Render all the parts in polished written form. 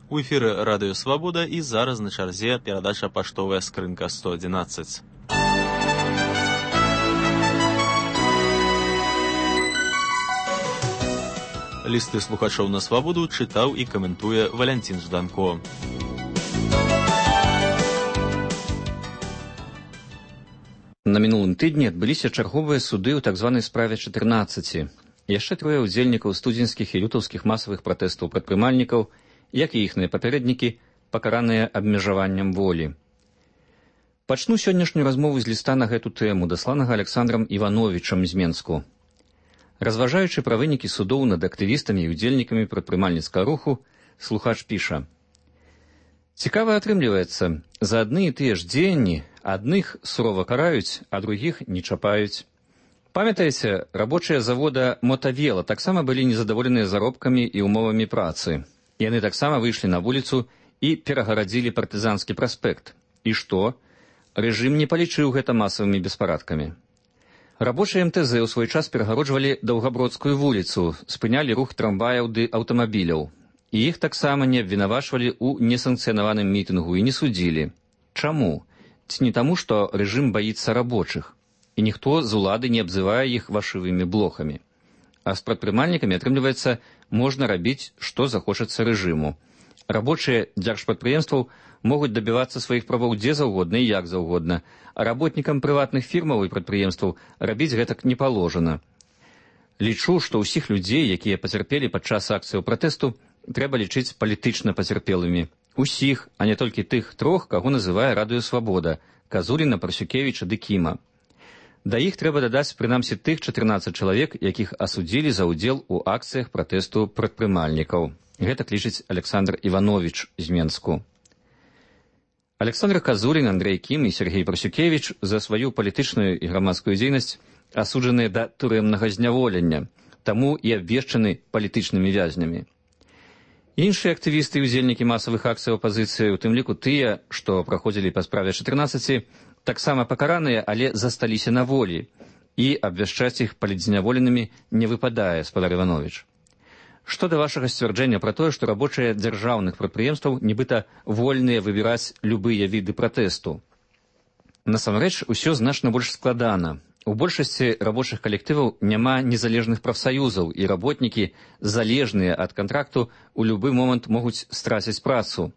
У эфіры Радыё Свабода і зараз на чарзе перадача «Паштовая скрынка 111». Лісты слухачоў на свабоду чытаў і каментуе Валянцін Жданко. На мінулым тыдні адбыліся чарговыя суды ў так званай справе 14. Яшчэ трое ўдзельнікаў студзеньскіх і лютаўскіх масавых пратэстаў прадпрымальнікаў, як і іхныя папярэднікі, пакараныя абмежаваннем волі. Пачну сённяшнюю размову з ліста на гэту тэму, дасланага Александрам Івановічам з Менску. Разважаючы пра вынікі судоў над актывістамі і ўдзельнікамі прадпрымальніцкага руху, слухач піша: «Цікава атрымліваецца, за адны і тыя ж дзеянні адных сурова караюць, а другіх не чапаюць. Памятаеце, рабочыя завода «Мотавела» таксама былі незадаволеныя заробкамі і умовамі працы. Яны таксама выйшлі на вуліцу і перагарадзілі партызанскі праспект. І што? Рэжым не палічыў гэта масавымі беспарадкамі. Рабочыя МТЗ ў свой час перагароджвалі Даўгабродскую вуліцу, спынялі рух трамваяў ды аўтамабіляў. І іх таксама не абвінавачвалі ў несанкцыянаваным мітынгу і не судзілі. Чаму? Ці не таму, што рэжым баіцца рабочых, і ніхто з улады не абзывае іх вашывымі блохамі. А з прадпрымальнікамі, атрымліваецца, можна рабіць, што захочацца рэжыму. Рабочыя дзяржпрадпрыемстваў могуць дабівацца сваіх правоў дзе заўгодна і як заўгодна, а работнікам прыватных фірмаў і прадпрыемстваў рабіць гэтак не паложана. Лічу, што ўсіх людзей, якія пацярпелі падчас акцыяў пратэсту, трэба лічыць палітычна пацярпелымі. Усіх, а не толькі тых трох, каго называе Радыё Свабода – Казуліна, Парсюкевіча ды Кіма. Да іх трэба дадаць прынамсі тых 14 чалавек, якіх асудзілі за ўдзел у акцыях пратэсту прадпрымальнікаў. Гэта лічыць Александр Івановіч з Менску. Александр Казулін, Андрэй Кім і Сергей Парсюкевіч за сваю палітычную і грамадскую дзейнасць асуджаныя да турэмнага зняволення, таму і абвешчаны палітычнымі вязнямі. Іншыя актывісты і ўдзельнікі масавых акцый апазіцыі, у тым ліку тыя, што праходзілі па справе 14, таксама пакараныя, але засталіся на волі, і абвяшчаць іх палітзняволенымі не выпадае, спадар Івановіч. Што да вашага сцвярджэння пра тое, што рабочыя дзяржаўных прадпрыемстваў нібыта вольныя выбіраць любыя віды пратэсту? Насамрэч, усё значна больш складана. У большасці рабочых калектываў няма незалежных прафсаюзаў, і работнікі, залежныя ад кантракту, у любы момант могуць страціць працу.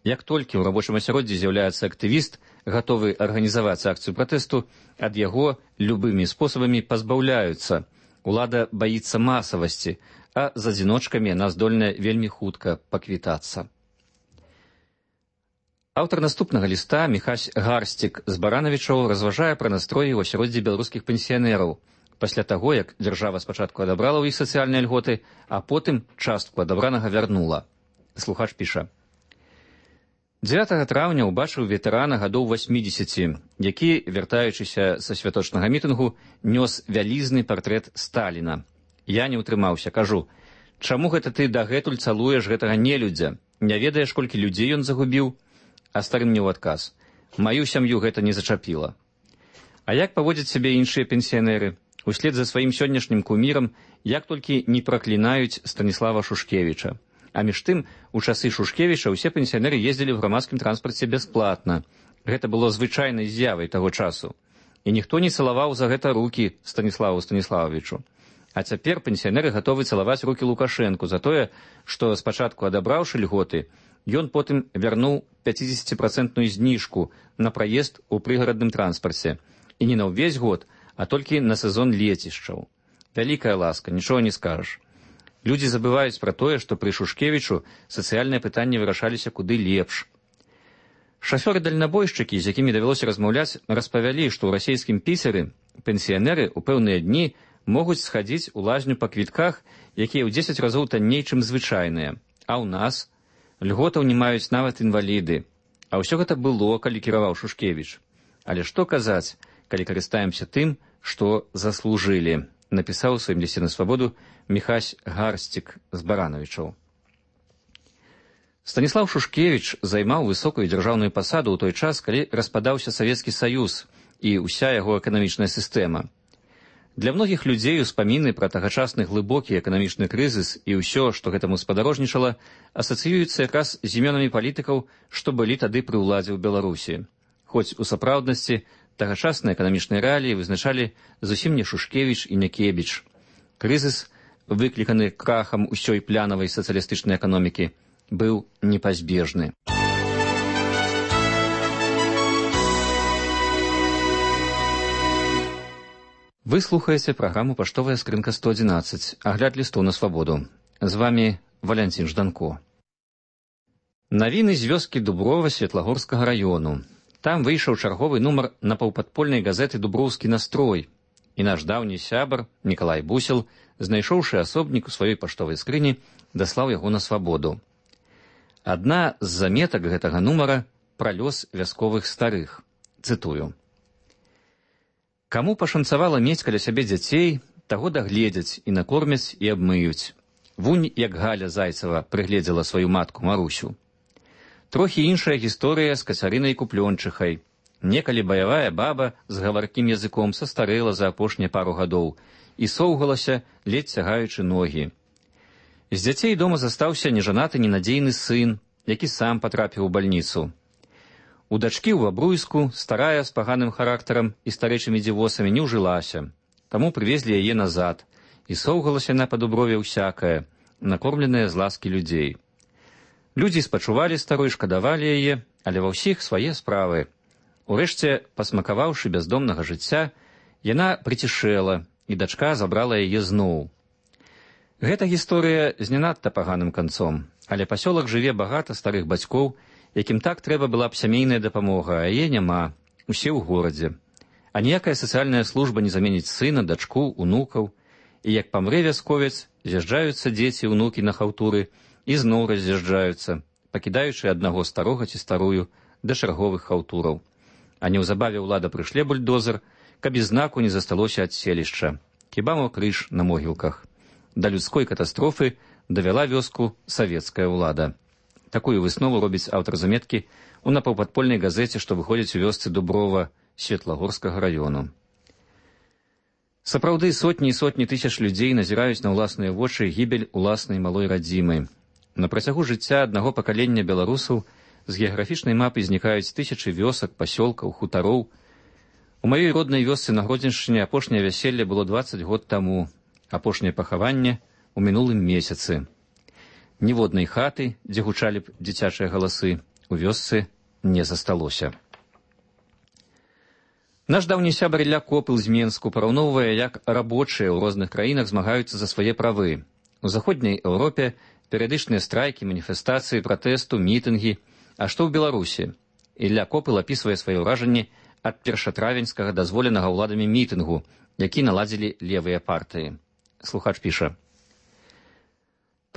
Як толькі ў рабочым асяроддзі з'яўляецца актывіст, гатовы арганізаваць акцыю пратэсту, ад яго любымі спосабамі пазбаўляюцца. Улада баіцца масавасці, а з адзіночкамі яна здольная вельмі хутка паквітацца. Аўтар наступнага ліста, Міхась Гарсцік з Баранавічаў, разважае пра настроі ў асяроддзі беларускіх пенсіянераў пасля таго, як дзяржава спачатку адабрала ў іх сацыяльныя льготы, а потым частку адабранага вярнула. Слухач піша: 9 траўня ўбачыў ветэрана гадоў 80, які, вяртаючыся са святочнага мітынгу, нёс вялізны партрэт Сталіна. Я не ўтрымаўся, кажу: чаму гэта ты дагэтуль цалуеш гэтага нелюдзя? Не ведаеш, колькі людзей ён загубіў? А стары мне ў адказ: маю сям'ю гэта не зачапіла. А як паводзяць сябе іншыя пенсіянеры? Услед за сваім сённяшнім кумірам, як толькі не праклінаюць Станіслава Шушкевіча. А між тым, у часы Шушкевіча ўсе пенсіянеры ездзілі ў грамадскім транспарце бясплатна. Гэта было звычайнай з'явай таго часу. І ніхто не цалаваў за гэта рукі Станіславу Станіславовичу. А цяпер пенсіянеры гатовы цалаваць рукі Лукашэнку за тое, што спачатку адабраўшы льготы, ён потым вярнуў 50% зніжку на праезд у прыгарадным транспарце. І не на ўвесь год, а толькі на сезон лецішчаў. Вялікая ласка, нічога не скажаш. Людзі забываюць пра тое, што пры Шушкевічу сацыяльныя пытанні вырашаліся куды лепш. Шафёры-дальнабойшчыкі, з якімі давялося размаўляць, распавялі, што ў расейскім Піцеры пенсіянеры ў пэўныя дні могуць схадзіць у лазню па квітках, якія ў 10 разоў танней, чым звычайныя. А ў нас льготаў не маюць нават інваліды. А ўсё гэта было, калі кіраваў Шушкевіч. Але што казаць, калі карыстаемся тым, што заслужылі, напісаў у сваім лісце на свабоду Міхась Гарсцік з Баранавічаў. Станіслав Шушкевіч займаў высокую дзяржаўную пасаду ў той час, калі распадаўся Савецкі Саюз і ўся яго эканамічная сістэма. Для многіх людзей успаміны пра тагачасны глыбокі эканамічны крызіс і ўсё, што гэтаму спадарожнічала, асацыююцца якраз з імёнамі палітыкаў, што былі тады пры ўладзе ў Беларусі. Хоць у сапраўднасці тагачасныя эканамічныя рэаліі вызначалі зусім не Шушкевіч і не Кебіч. Крызіс, выкліканы крахам усёй плянавай сацыялістычнай эканомікі, быў непазбежны. Вы слухаеце праграму «Паштовая скрынка 111», агляд лістоў на свабоду. З вамі Валянцін Жданко. Навіны з вёскі Дуброва Светлагорскага раёну. Там выйшаў чарговы нумар напаўпадпольнай газеты «Дуброўскі настрой», і наш даўні сябар Мікалай Бусел, знайшоўшы асобнік у сваёй паштовай скрыні, даслаў яго на свабоду. Адна з заметак гэтага нумара пра лёс вясковых старых. Цытую. «Каму пашанцавала мець каля сябе дзяцей, таго дагледзяць і накормяць і абмыюць. Вунь, як Галя Зайцева прыгледзела сваю матку Марусю. Трохі іншая гісторыя з Кацярынай Куплёнчыхай. Некалі баявая баба з гаваркім языком састарэла за апошнія пару гадоў і соўгалася, ледзь цягаючы ногі. З дзяцей дома застаўся нежанаты ненадзейны сын, які сам патрапіў у бальніцу. У дачкі ў Бабруйску старая з паганым характарам і старэчымі дзівосамі не ўжылася, таму прывезлі яе назад, і соўгалася на па Дуброве ўсякае, накормленая з ласкі людзей. Людзі спачувалі старой, шкадавалі яе, але ва ўсіх свае справы. Урэшце, пасмакаваўшы бяздомнага жыцця, яна прыцішэла, і дачка забрала яе зноў. Гэта гісторыя з не надта паганым канцом, але пасёлак жыве багата старых бацькоў, якім так трэба была б сямейная дапамога, а яе няма, усе ў горадзе. А ніякая сацыяльная служба не заменіць сына, дачку, унукаў. І як памрэ вясковец, з'язджаюцца дзеці, унукі на хаўтуры і зноў раз'язджаюцца, пакідаючы аднаго старога ці старую да чарговых хаўтураў. А неўзабаве ўлада прышле бульдозер, каб і знаку не засталося ад селішча. Хіба мо крыж на могілках. Да людской катастрофы давяла вёску савецкая ўлада. Такую выснову робіць аўтар заметкі ў напаўпадпольнай газеце, што выходзіць у вёсцы Дуброва Светлагорскага раёну. Сапраўды, сотні і сотні тысяч людзей назіраюць на ўласныя вочы гібель уласнай малой радзімы. На працягу жыцця аднаго пакалення беларусаў з геаграфічнай мапы знікаюць тысячы вёсак, пасёлкаў, хутароў. У маёй роднай вёсцы на Гродзеншчыне апошняе вяселле было 20 год таму, апошняе пахаванне ў мінулым месяцы. Ніводнай хаты, дзе гучалі б дзіцячыя галасы, у вёсцы не засталося. Наш даўні сябар Ілля Копыл з Менску параўноўвае, як рабочыя ў розных краінах змагаюцца за свае правы. У заходняй Еўропе перыядычныя страйкі, маніфестацыі, пратэсту, мітынгі. А што ў Беларусі? Ілля Копыл апісвае свае ўражанні ад першатравеньскага дазволенага ўладамі мітынгу, які наладзілі левыя партыі. Слухач піша.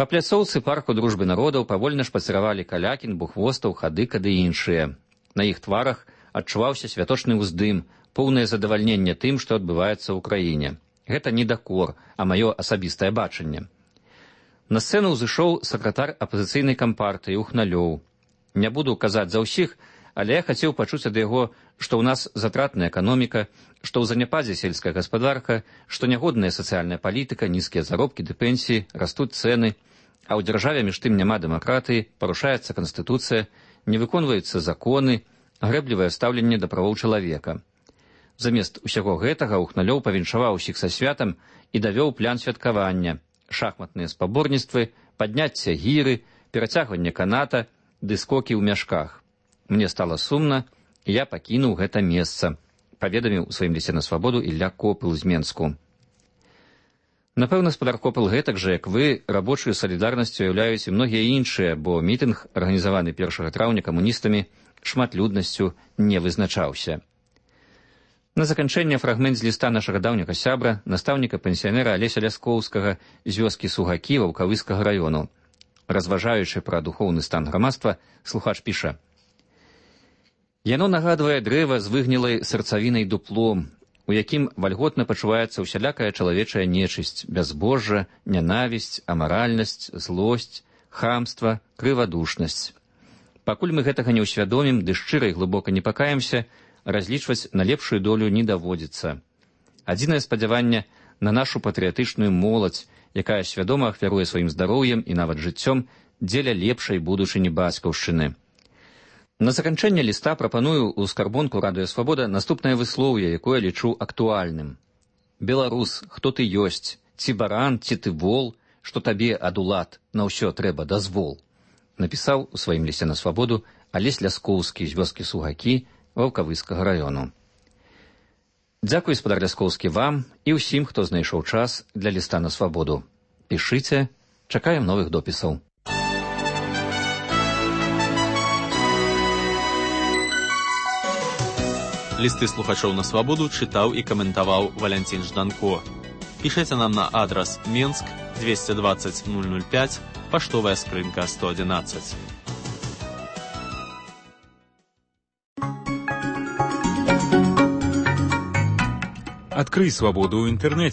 Па пляцоўцы парку дружбы народаў павольна шпацыравалі Калякін, Бухвостаў, Хадыка ды іншыя. На іх тварах адчуваўся святочны ўздым, поўнае задавальненне тым, што адбываецца ў краіне. Гэта не дакор, а маё асабістае бачанне. На сцэну ўзышоў сакратар апазіцыйнай кампартыі Ухналёў. Не буду казаць за ўсіх, але я хацеў пачуць ад яго, што ў нас затратная эканоміка, што ў заняпадзе сельская гаспадарка, што нягодная сацыяльная палітыка, нізкія заробкі ды пенсіі, растуць цэны, а ў дзяржаве між тым няма дэмакратыі, парушаецца канстытуцыя, не выконваюцца законы, грэблівае стаўленне да правоў чалавека. Замест усяго гэтага Ухналёў павіншаваў усіх са святам і давёў план святкавання, шахматныя спаборніцтвы, падняцце гіры, перацягванне каната ды скокі ў мяшках. Мне стала сумна, і я пакінуў гэта месца, паведаміў у сваім лісце на свабоду Ілля Копыл з Менску. Напэўна, спадар Копыл гэтак жа, як вы, рабочую салідарнасцю уяўляюць і многія іншыя, бо мітынг, арганізаваны 1 траўня камуністамі, шматлюднасцю не вызначаўся. На заканчэнне фрагмент з ліста нашага даўняга сябра, настаўніка-пенсіянера Алеся Ляскоўскага з вёскі Сугакі Ваўкавыскага раёну. Разважаючы пра духоўны стан грамадства, слухач піша. Яно нагадвае дрэва з выгнілай сэрцавінай дуплом, у якім вальготна пачуваецца ўсялякая чалавечая нечысць, бязбожжа, нянавісць, амаральнасць, злосць, хамства, крывадушнасць. Пакуль мы гэтага не ўсвядомім ды шчыра і глыбока не пакаемся, разлічваць на лепшую долю не даводзіцца. Адзінае спадзяванне на нашу патрыятычную моладзь, якая свядома ахвяруе сваім здароўем і нават жыццём дзеля лепшай будучыні бацькаўшчыны. На заканчэнне ліста прапаную ў скарбонку Радыё Свабода наступнае выслоўе, якое лічу актуальным. Беларус, хто ты ёсць, ці баран, ці ты вол, што табе ад улад на ўсё трэба дазвол, напісаў у сваім лісце на свабоду Алесь Ляскоўскі з вёскі Сугакі Ваўкавыскага раёну. Дзякуй, спадар Ляскоўскі, вам і ўсім, хто знайшоў час для ліста на свабоду. Пішыце, чакаем новых допісаў. Лісты слухачоў на свабоду чытаў і каментаваў Валянцін Жданко. Пішыце нам на адрас Менск 220 005, паштовая скрынка 111. Открой свободу в интернете.